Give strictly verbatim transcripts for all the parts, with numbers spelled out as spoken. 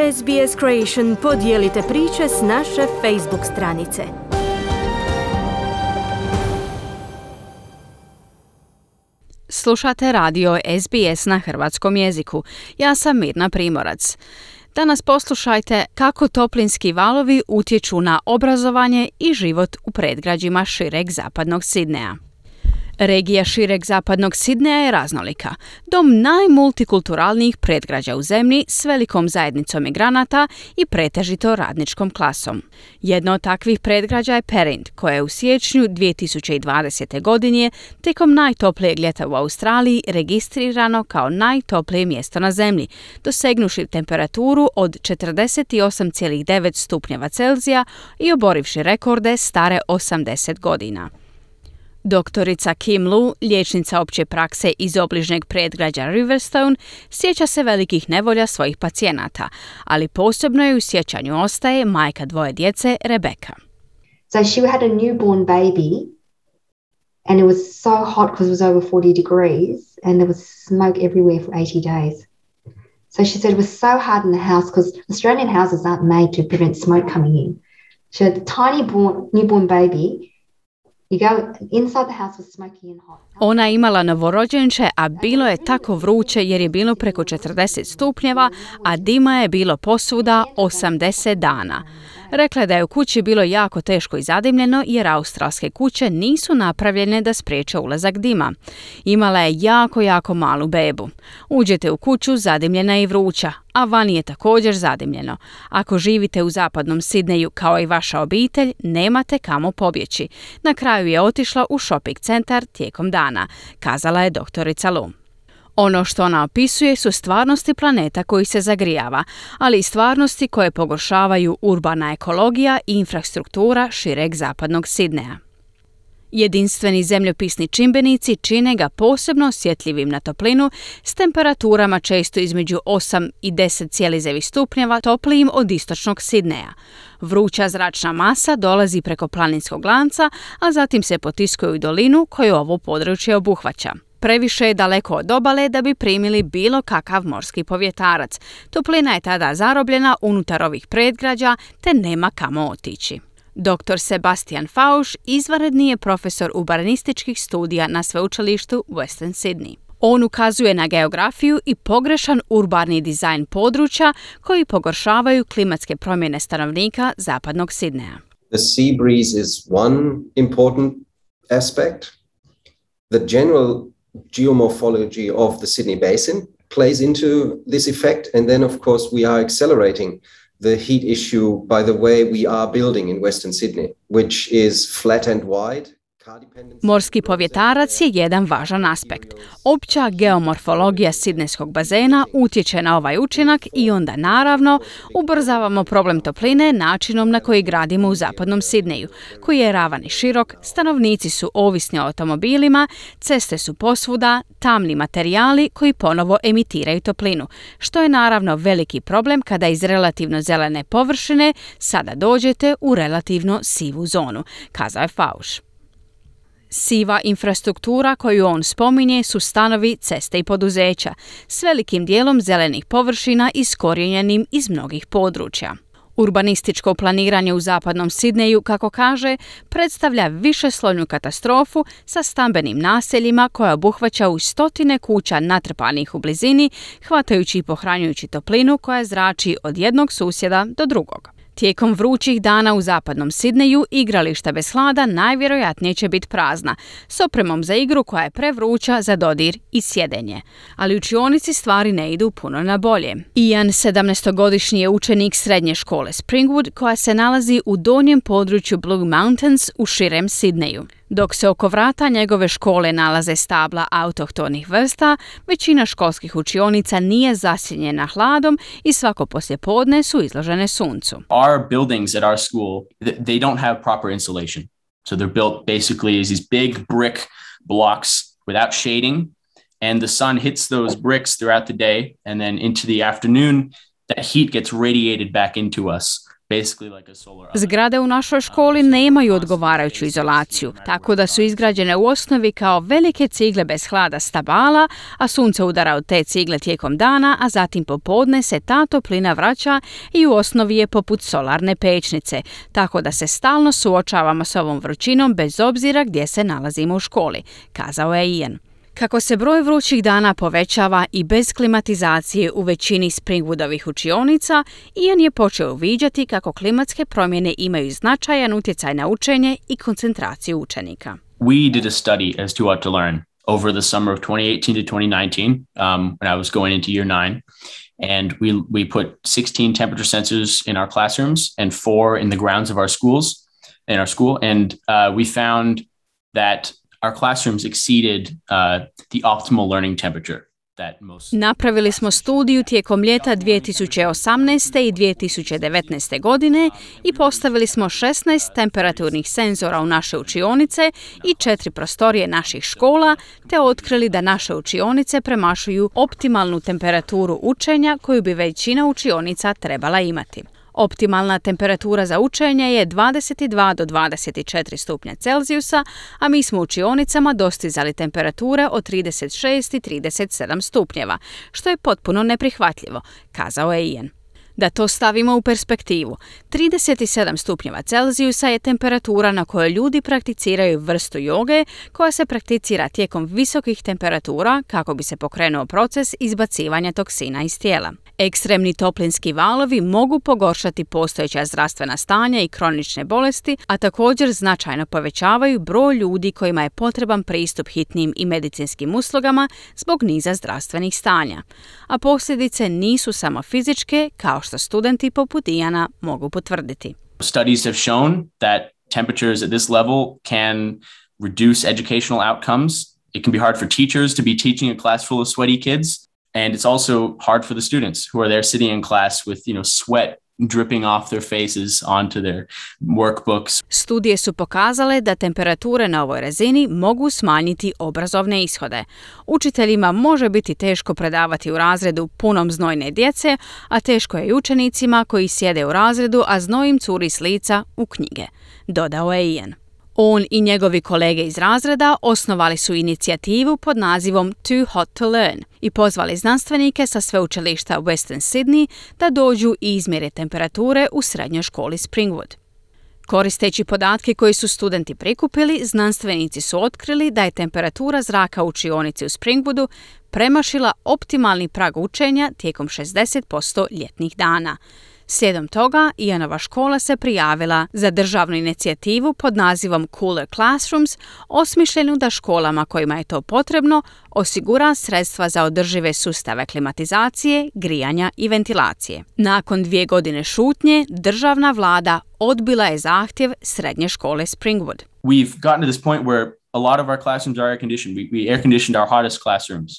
S B S Creation podijelite priče s naše Facebook stranice. Slušate radio S B S na hrvatskom jeziku. Ja sam Mirna Primorac. Danas poslušajte kako toplinski valovi utječu na obrazovanje i život u predgrađima šireg zapadnog Sidneja. Regija šireg zapadnog Sidneja je raznolika, dom najmultikulturalnijih predgrađa u zemlji s velikom zajednicom migranata i pretežito radničkom klasom. Jedno od takvih predgrađa je Perind, koje je u siječnju dvije tisuće dvadesete. godine tijekom najtoplijeg ljeta u Australiji registrirano kao najtoplije mjesto na zemlji, dosegnuši temperaturu od četrdeset osam zarez devet stupnjeva Celzija i oborivši rekorde stare osamdeset godina. Doktorica Kim Lu, liječnica opće prakse iz obližnjeg predgrađa Riverstone, sjeća se velikih nevolja svojih pacijenata, ali posebno je u sjećanju ostaje majka dvoje djece, Rebecca. So she had a newborn baby and it was so hot because it was over forty degrees and there was smoke everywhere for eighty days. So she said it was so hard in the house because Australian houses aren't made to prevent smoke coming in. She had a tiny born, newborn baby. Ona je imala novorođenče, a bilo je tako vruće jer je bilo preko četrdeset stupnjeva, a dima je bilo posvuda osamdeset dana. Rekla je da je u kući bilo jako teško i zadimljeno jer australske kuće nisu napravljene da spriječe ulazak dima. Imala je jako, jako malu bebu. Uđete u kuću, zadimljena i vruća, a vani je također zadimljeno. Ako živite u zapadnom Sidneju kao i vaša obitelj, nemate kamo pobjeći. Na kraju je otišla u shopping centar tijekom dana, kazala je doktorica Lu. Ono što ona opisuje su stvarnosti planeta koji se zagrijava, ali i stvarnosti koje pogoršavaju urbana ekologija i infrastruktura šireg zapadnog Sidneja. Jedinstveni zemljopisni čimbenici čine ga posebno osjetljivim na toplinu s temperaturama često između osam i deset zarez devet stupnjeva toplijim od istočnog Sidneja. Vruća zračna masa dolazi preko planinskog lanca, a zatim se potiskuje u dolinu koju ovo područje obuhvaća. Previše je daleko od obale da bi primili bilo kakav morski povjetarac. Toplina je tada zarobljena unutar ovih predgrađa te nema kamo otići. doktor Sebastian Fausch izvanredni je profesor urbanističkih studija na sveučilištu Western Sydney. On ukazuje na geografiju i pogrešan urbani dizajn područja koji pogoršavaju klimatske promjene stanovnika zapadnog Sidneja. The sea breeze is one important aspect. The general geomorphology of the Sydney Basin plays into this effect, and then of course we are accelerating the heat issue by the way we are building in Western Sydney, which is flat and wide. Morski povjetarac je jedan važan aspekt. Opća geomorfologija sidnejskog bazena utječe na ovaj učinak i onda naravno ubrzavamo problem topline načinom na koji gradimo u zapadnom Sidneju, koji je ravan i širok, stanovnici su ovisni o automobilima, ceste su posvuda, tamni materijali koji ponovo emitiraju toplinu, što je naravno veliki problem kada iz relativno zelene površine sada dođete u relativno sivu zonu, kazao je Fausch. Siva infrastruktura koju on spominje su stanovi, ceste i poduzeća, s velikim dijelom zelenih površina iskorijenjenim iz mnogih područja. Urbanističko planiranje u zapadnom Sidneju, kako kaže, predstavlja višeslojnu katastrofu sa stambenim naseljima koja obuhvaća u stotine kuća natrpanih u blizini, hvatajući i pohranjujući toplinu koja zrači od jednog susjeda do drugog. Tijekom vrućih dana u zapadnom Sidneju igrališta bez hlada najvjerojatnije će biti prazna, s opremom za igru koja je prevruća za dodir i sjedenje. Ali u učionici stvari ne idu puno na bolje. Ian, sedamnaestogodišnji je učenik srednje škole Springwood koja se nalazi u donjem području Blue Mountains u širem Sidneju. Dok se oko vrata njegove škole nalaze stabla autohtonih vrsta, većina školskih učionica nije zasjenjena hladom i svako poslijepodne su izložene suncu. Our buildings at our school, they don't have proper insulation. So they're built basically as these big brick blocks without shading, and the sun hits those bricks throughout the day, and then into the afternoon, that heat gets radiated back into us. basically like a solar oven. Zgrade u našoj školi nemaju odgovarajuću izolaciju, tako da su izgrađene u osnovi kao velike cigle bez hlada stabala, a sunce udara od te cigle tijekom dana, a zatim popodne se ta toplina vraća i u osnovi je poput solarne pećnice, tako da se stalno suočavamo s ovom vrućinom bez obzira gdje se nalazimo u školi, kazao je Ian. Kako se broj vrućih dana povećava i bez klimatizacije u većini Springwoodovih učionica, Ian je počeo uviđati kako klimatske promjene imaju značajan utjecaj na učenje i koncentraciju učenika. We did a study as to what to learn over the summer of twenty eighteen to twenty nineteen, um, when I was going into year nine. And we we put sixteen temperature sensors in our classrooms and four in the grounds of our schools, in our school. And uh, we found that our classrooms exceeded uh, the optimal learning temperature. That most... Napravili smo studiju tijekom ljeta dvije tisuće osamnaeste. i dvije tisuće devetnaeste. godine i postavili smo šesnaest temperaturnih senzora u naše učionice i četiri prostorije naših škola, te otkrili da naše učionice premašuju optimalnu temperaturu učenja koju bi većina učionica trebala imati. Optimalna temperatura za učenje je dvadeset dva do dvadeset četiri stupnja Celzijusa, a mi smo u učionicama dostizali temperature od trideset šest i trideset sedam stupnjeva, što je potpuno neprihvatljivo, kazao je Ian. Da to stavimo u perspektivu, trideset sedam stupnjeva Celzijusa je temperatura na kojoj ljudi prakticiraju vrstu joge koja se prakticira tijekom visokih temperatura kako bi se pokrenuo proces izbacivanja toksina iz tijela. Ekstremni toplinski valovi mogu pogoršati postojeća zdravstvena stanja i kronične bolesti, a također značajno povećavaju broj ljudi kojima je potreban pristup hitnim i medicinskim uslugama zbog niza zdravstvenih stanja. A posljedice nisu samo fizičke, kao što studenti poput Iana mogu potvrditi. Studies have shown that temperatures at this level can reduce educational outcomes. It can be hard for teachers to be teaching a class full of sweaty kids. And it's also hard for the students who are there sitting in class with, you know, sweat dripping off their faces onto their workbooks. Studije su pokazale da temperature na ovoj razini mogu smanjiti obrazovne ishode. Učiteljima može biti teško predavati u razredu punom znojne djece, a teško je i učenicima koji sjede u razredu, a znoj im curi s lica u knjige, dodao je Ian. On i njegovi kolege iz razreda osnovali su inicijativu pod nazivom Too Hot to Learn i pozvali znanstvenike sa sveučilišta Western Sydney da dođu i izmjere temperature u srednjoj školi Springwood. Koristeći podatke koji su studenti prikupili, znanstvenici su otkrili da je temperatura zraka u učionici u Springwoodu premašila optimalni prag učenja tijekom šezdeset posto ljetnih dana. Slijedom toga, Ianova škola se prijavila za državnu inicijativu pod nazivom Cooler Classrooms, osmišljenu da školama kojima je to potrebno osigura sredstva za održive sustave klimatizacije, grijanja i ventilacije. Nakon dvije godine šutnje, državna vlada odbila je zahtjev srednje škole Springwood. We've gotten to this point where a lot of our classrooms are air conditioned. We, we air conditioned our hottest classrooms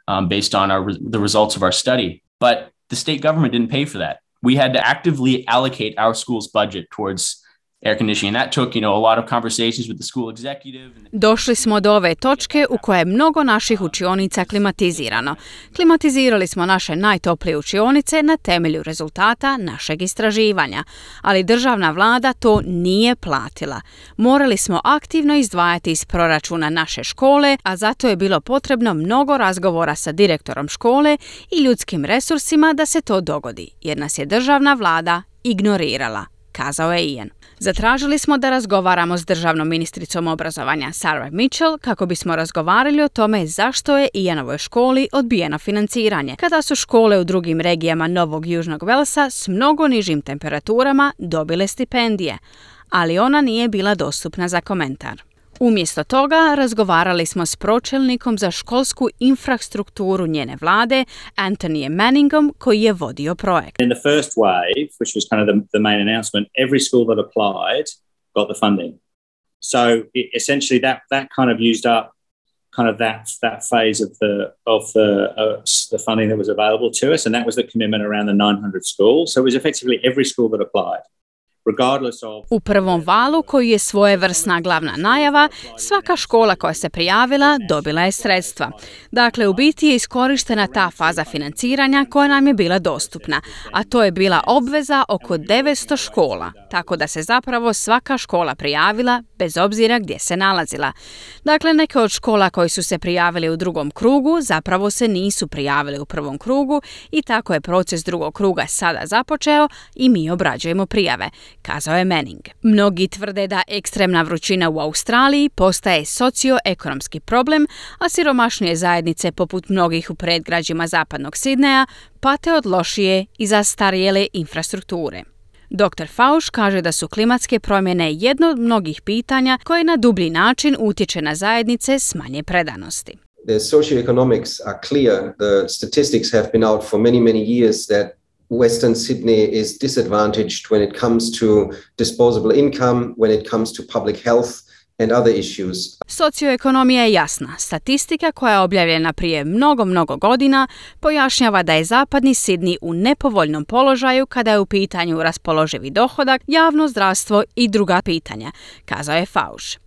um, based on our, the results of our study. But the state government didn't pay for that. We had to actively allocate our school's budget towards air conditioning. And that took, you know, a lot of conversations with the school executive. Došli smo do ove točke u kojoj je mnogo naših učionica klimatizirano. Klimatizirali smo naše najtoplije učionice na temelju rezultata našeg istraživanja, ali državna vlada to nije platila. Morali smo aktivno izdvajati iz proračuna naše škole, a zato je bilo potrebno mnogo razgovora sa direktorom škole i ljudskim resursima da se to dogodi, jer nas je državna vlada ignorirala, kazao je Ian. Zatražili smo da razgovaramo s državnom ministricom obrazovanja Sarah Mitchell kako bismo razgovarali o tome zašto je Ianovoj školi odbijeno financiranje, kada su škole u drugim regijama Novog Južnog Velsa s mnogo nižim temperaturama dobile stipendije, ali ona nije bila dostupna za komentar. Umjesto toga razgovarali smo s pročelnikom za školsku infrastrukturu njene vlade, Anthonyem Manningom, koji je vodio projekt. In the first wave, which was kind of the, the main announcement, every school that applied got the funding. So it, essentially that that kind of used up kind of that that phase of the of the uh, the funding that was available to us, and that was the commitment around the nine hundred schools. So it was effectively every school that applied. regardless of... U prvom valu, koji je svojevrsna glavna najava, svaka škola koja se prijavila dobila je sredstva. Dakle, u biti je iskorištena ta faza financiranja koja nam je bila dostupna, a to je bila obveza oko devetsto škola, tako da se zapravo svaka škola prijavila bez obzira gdje se nalazila. Dakle, neke od škola koji su se prijavili u drugom krugu zapravo se nisu prijavili u prvom krugu i tako je proces drugog kruga sada započeo i mi obrađujemo prijave, kazao je Manning. Mnogi tvrde da ekstremna vrućina u Australiji postaje socioekonomski problem, a siromašnije zajednice poput mnogih u predgrađima zapadnog Sidneja pate od lošije i zastarjele infrastrukture. doktor Fauci kaže da su klimatske promjene jedno od mnogih pitanja koje na dublji način utječe na zajednice s manje predanosti. The socioeconomics are clear. The statistics have been out for many, many years that Western Sydney is disadvantaged when it comes to disposable income, when it comes to public health and other issues. Socioekonomija je jasna. Statistika koja je objavljena prije mnogo, mnogo godina pojašnjava da je zapadni Sidney u nepovoljnom položaju kada je u pitanju raspoloživi dohodak, javno zdravstvo i druga pitanja, kazao je Fauci.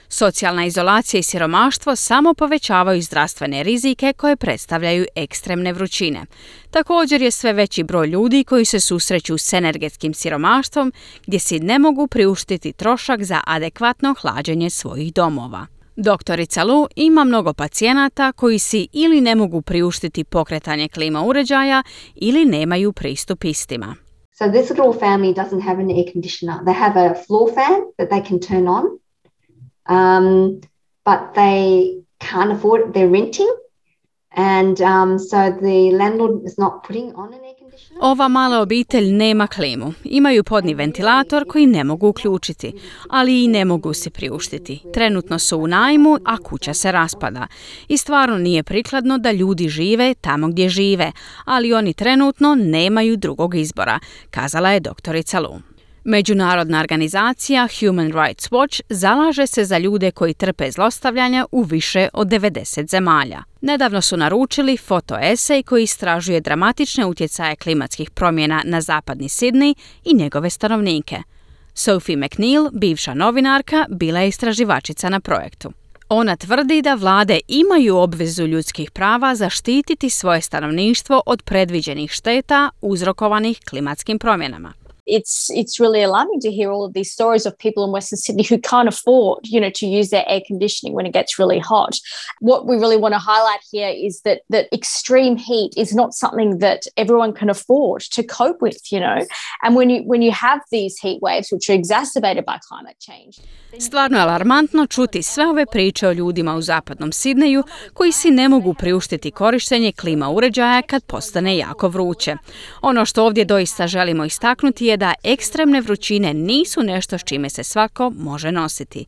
Socijalna izolacija i siromaštvo samo povećavaju zdravstvene rizike koje predstavljaju ekstremne vrućine. Također je sve veći broj ljudi koji se susreću s energetskim siromaštvom gdje si ne mogu priuštiti trošak za adekvatno hlađenje svojih domova. Doktorica Lu ima mnogo pacijenata koji si ili ne mogu priuštiti pokretanje klima uređaja ili nemaju pristup istima. So this little family doesn't have an air conditioner. They have a floor fan that they can turn on. Um, but they can't afford it. They're renting, and um, so the landlord is not putting on an air conditioner. Ova mala obitelj nema klimu. Imaju podni ventilator koji ne mogu uključiti, ali i ne mogu se priuštiti. Trenutno su u najmu, a kuća se raspada. I stvarno nije prikladno da ljudi žive tamo gdje žive, ali oni trenutno nemaju drugog izbora, kazala je doktorica Lu. Međunarodna organizacija Human Rights Watch zalaže se za ljude koji trpe zlostavljanja u više od devedeset zemalja. Nedavno su naručili fotoesej koji istražuje dramatične utjecaje klimatskih promjena na zapadni Sidney i njegove stanovnike. Sophie McNeil, bivša novinarka, bila je istraživačica na projektu. Ona tvrdi da vlade imaju obvezu ljudskih prava zaštititi svoje stanovništvo od predviđenih šteta uzrokovanih klimatskim promjenama. It's it's really alarming to hear all of these stories of people in Western Sydney who can't afford, you know, to use their air conditioning when it gets really hot. What we really want to highlight here is that that extreme heat is not something that everyone can afford to cope with, you know. And when you when you have these heat waves which are exacerbated by climate change. Stvarno je alarmantno čuti sve ove priče o ljudima u zapadnom Sidneju koji si ne mogu priuštiti korištenje klima uređaja kad postane jako vruće. Ono što ovdje doista želimo istaknuti je da ekstremne vrućine nisu nešto s čime se svako može nositi.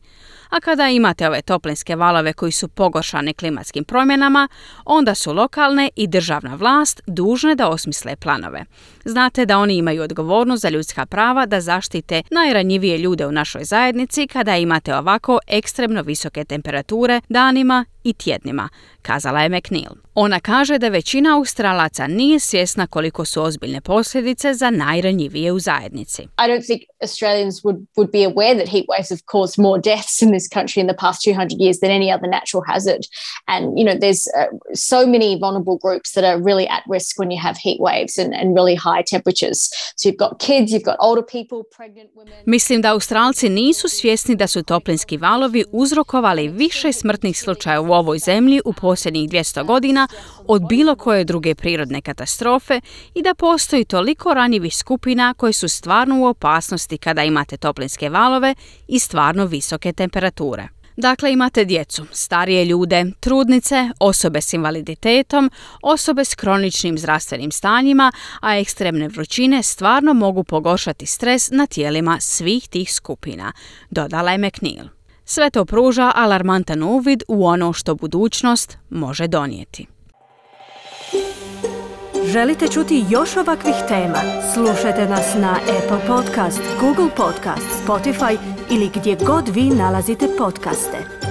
A kada imate ove toplinske valove koji su pogoršani klimatskim promjenama, onda su lokalne i državna vlast dužne da osmisle planove. Znate da oni imaju odgovornost za ljudska prava da zaštite najranjivije ljude u našoj zajednici kada imate ovako ekstremno visoke temperature danima i tjednima, kazala je McNeil. Ona kaže da većina Australaca nije svjesna koliko su ozbiljne posljedice za najranjivije u zajednici. I don't think Australians would, would be aware that heat waves have caused more deaths in this country in the past two hundred years than any other natural hazard. And, you know, there's uh, so many vulnerable groups that are really at risk when you have heat waves and, and really high temperatures. So you've got kids, you've got older people, pregnant women. Mislim da Australci nisu svjesni da su toplinski valovi uzrokovali više smrtnih slučaja u ovoj zemlji u posljednjih dvjesto godina od bilo koje druge prirodne katastrofe i da postoji toliko ranjivih skupina koje su stvarno u opasnosti kada imate toplinske valove i stvarno visoke temperature. Dakle, imate djecu, starije ljude, trudnice, osobe s invaliditetom, osobe s kroničnim zdravstvenim stanjima, a ekstremne vrućine stvarno mogu pogoršati stres na tijelima svih tih skupina, dodala je McNeil. Sve to pruža alarmantan uvid u ono što budućnost može donijeti. Želite čuti još ovakvih tema? Slušajte nas na Apple Podcast, Google Podcast, Spotify ili gdje god vi nalazite podcaste.